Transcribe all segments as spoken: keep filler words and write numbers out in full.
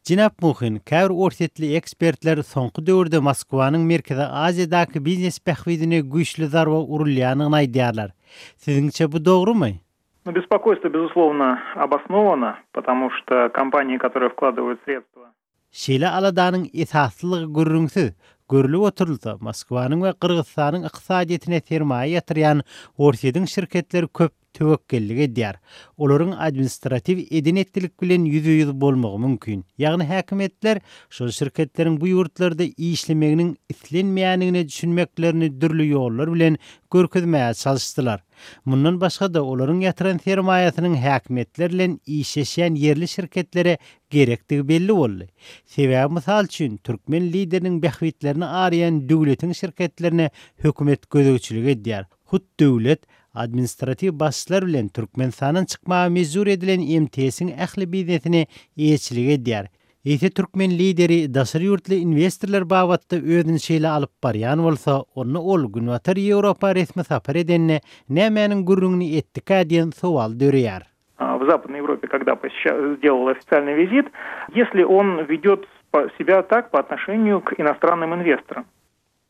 Jenap Muhin, käbir orsýetli ekspertler soňky döwürde Moskwanyň Merkezi Aziýadaky biznes bähbidine güýçli zarba urulýanyny aýdýarlar. Siziňçe bu dogrumy? Ну, беспокойство, безусловно, обосновано, потому что компании, которые вкладывают средства Şeýle aladanyň esaslygy gürrüňsiz. Görlüp oturulsa, Moskwanyň we Gyrgyzystanyň ykdysadyýetine sermaýa ýatyrýan Orsýetiň şirketleri köp töwekgellik edýär. Olaryň administratiw eden-etdilik bilen ýüzbe-ýüz bolmagy mümkin. Ýagny häkimiýetler şol şirketleriň bu ýurtlarda işlemeginiň islenmeýändigine düşünmeklerini dürli ýollar bilen görkezmäge çalyşdylar. Mundan başga-da olaryň ýatyran sermaýasynyň häkimiýetler bilen işleşýän ýerli şirketlere gerekdigi belli boldy. Sebäbi mysal üçin türkmen lideriniň bähbitlerini araýan döwletiň şirketlerine hökümet gözegçilik edýär. Hut döwlet administratiw basyşlar bilen Türkmenistandan çykmaga mejbur edilen M T S-iň ähli biznesine eýeçilik edýär. Eýse türkmen lideri daşary ýurtly investorlar babatda özüni şeýle alyp barýan bolsa, onda ol Günbatar Ýewropa resmi sapar edende nämäniň gürrüňini etdikä diýen sowal döreýär. в Западной Европе, когда посещал, сделал официальный визит, если он ведет себя так по отношению к иностранным инвесторам.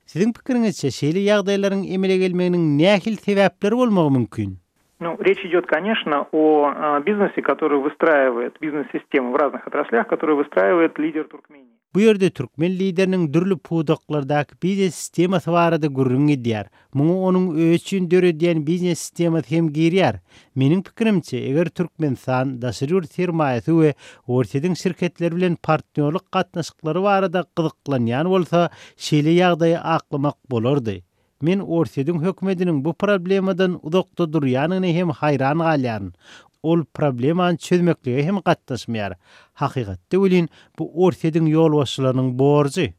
Siziň pikiriňizçe şeýle ýagdaýlaryň emele gelmeginiň nähili sebäpleri bolmagy mümkin? Ну, речь идет, конечно, о бизнесе, который выстраивает бизнес-систему в разных отраслях, который выстраивает лидер Туркмении. Bu ýerde türkmen lideriniň dürli pudaklardaky biznes sistemasy barada gürrüň edýär. Muňa onuň özi üçin döredýän biznes sistemasy hem girýär. Meniň pikirimçe, eger Türkmenistan daşary ýurt sermaýasy we Orsýetiň şirketleri bilen partnýorlyk gatnaşyklary barada gyzyklanýan bolsa, şeýle ýagdaýy aklamak bolardy. Men Orsýetiň hökümetiniň bu problemadan uzakda durýanyny hem haýran galýaryn. Ol problemany çözmeklige hem gatnaşmaýar. Hakykatda welin bu Orsýetiň ýolbaşçylarynyň borjy.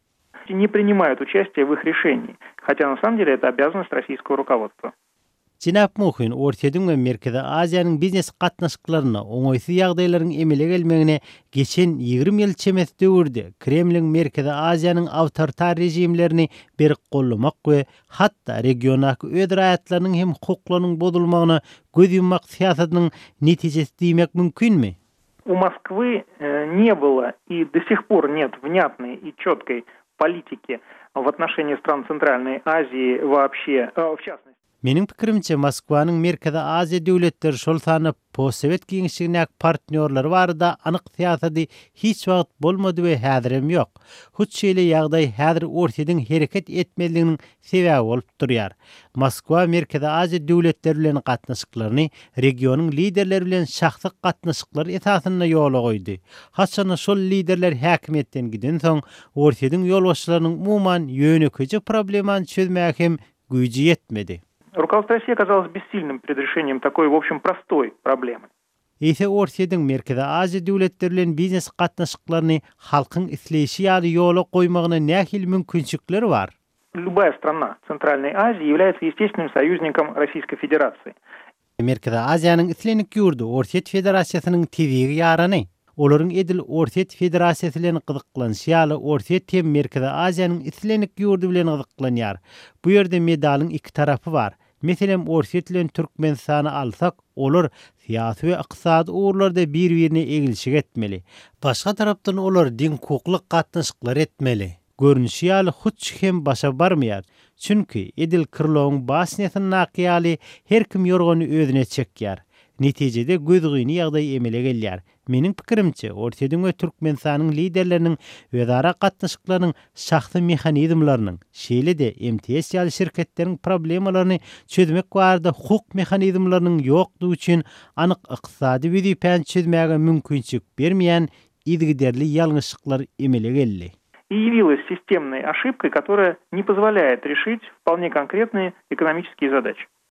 Не принимают участие в их решении, хотя на самом деле это обязанность российского руководства. Jenap Muhin, Orsýetiň we Merkezi Aziýanyň biznes gatnaşyklaryna oňaýsyz ýagdaýlaryň emele gelmegine geçen ýigrimi ýyl çemesi döwürde Kremliň Merkezi Aziýanyň awtoritar rejimlerini berk gollamak we hatda regiondaky öz raýatlarynyň hem hukuklarynyň bozulmagyna göz ýummak syýasatynyň netijesi diýmek mümkinmi? У Москвы э, не было и до сих пор нет внятной и четкой политики в отношении стран Центральной Азии вообще, э, в частности. Meniň pikirimçe Moskwanyň Merkezi Aziýa döwletleri şol sanda postsowet giňişligindäki partnýorlary barada anyk syýasaty hiç wagt bolmady we häzirem ýok. Hut şeýle ýagdaý häzir Orsýetiň hereket etmezliginiň sebäbi bolup durýar. Moskwa Merkezi Aziýa döwletleri bilen gatnaşyklaryny regionyň liderleri bilen şahsy gatnaşyklar esasynda ýola goýdy. Haçanda şol liderler häkimiýetden giden soň Orsýetiň ýolbaşçylarynyň umuman ýönekeýje problemany çözmäge hem güýji ýetmedi. Руководство России оказалось бессильным перед решением такой, в общем, простой проблемы. Eýse Orsýetiň Merkezi Aziýa döwletleri bilen biznes gatnaşyklaryny halkyň isleýşi ýaly ýola goýmagyna nähili mümkinçilikleri bar? Любая страна Центральной Азии является естественным союзником Российской Федерации. Merkezi Aziýanyň islendik ýurdy Orsýet Federasiýasynyň tebigy ýarany. Olaryň edil Orsýet Federasiýasy bilen gyzyklanyşy ýaly Orsýet hem Merkezi Aziýanyň islendik ýurdy bilen gyzyklanýar. Bu ýerde medalyň iki tarapy bar. Meselem Orsýet bilen Türkmenistany alsak, olar syýasy we ykdysady ugurlarda bir-birine egilşik etmeli. Başga tarapdan olar deňhukukly gatnaşyklar etmeli. Görnüşi ýaly hut hem başa barmaýar. Çünki edil Krylowyň basnýasyndaky ýaly her kim ýorgany özüne çekýär. Netijede gözgyny ýagdaý emele gelýär. Meniň pikirimçe, Orsýetiň we Türkmenistanyň liderleriniň özara gatnaşyklarynyň şahsy mehanizmleriniň, şeýle-de M T S ýaly şirketleriň problemalaryny çözmek barada hukuk mehanizmleriniň ýokdugy üçin anyk ykdysady wezipäni çözmäge mümkinçilik bermeýän yzygiderli ýalňyşlyklar emele geldi. И явилась системной ошибкой, которая не позволяет решить вполне конкретные экономические задачи.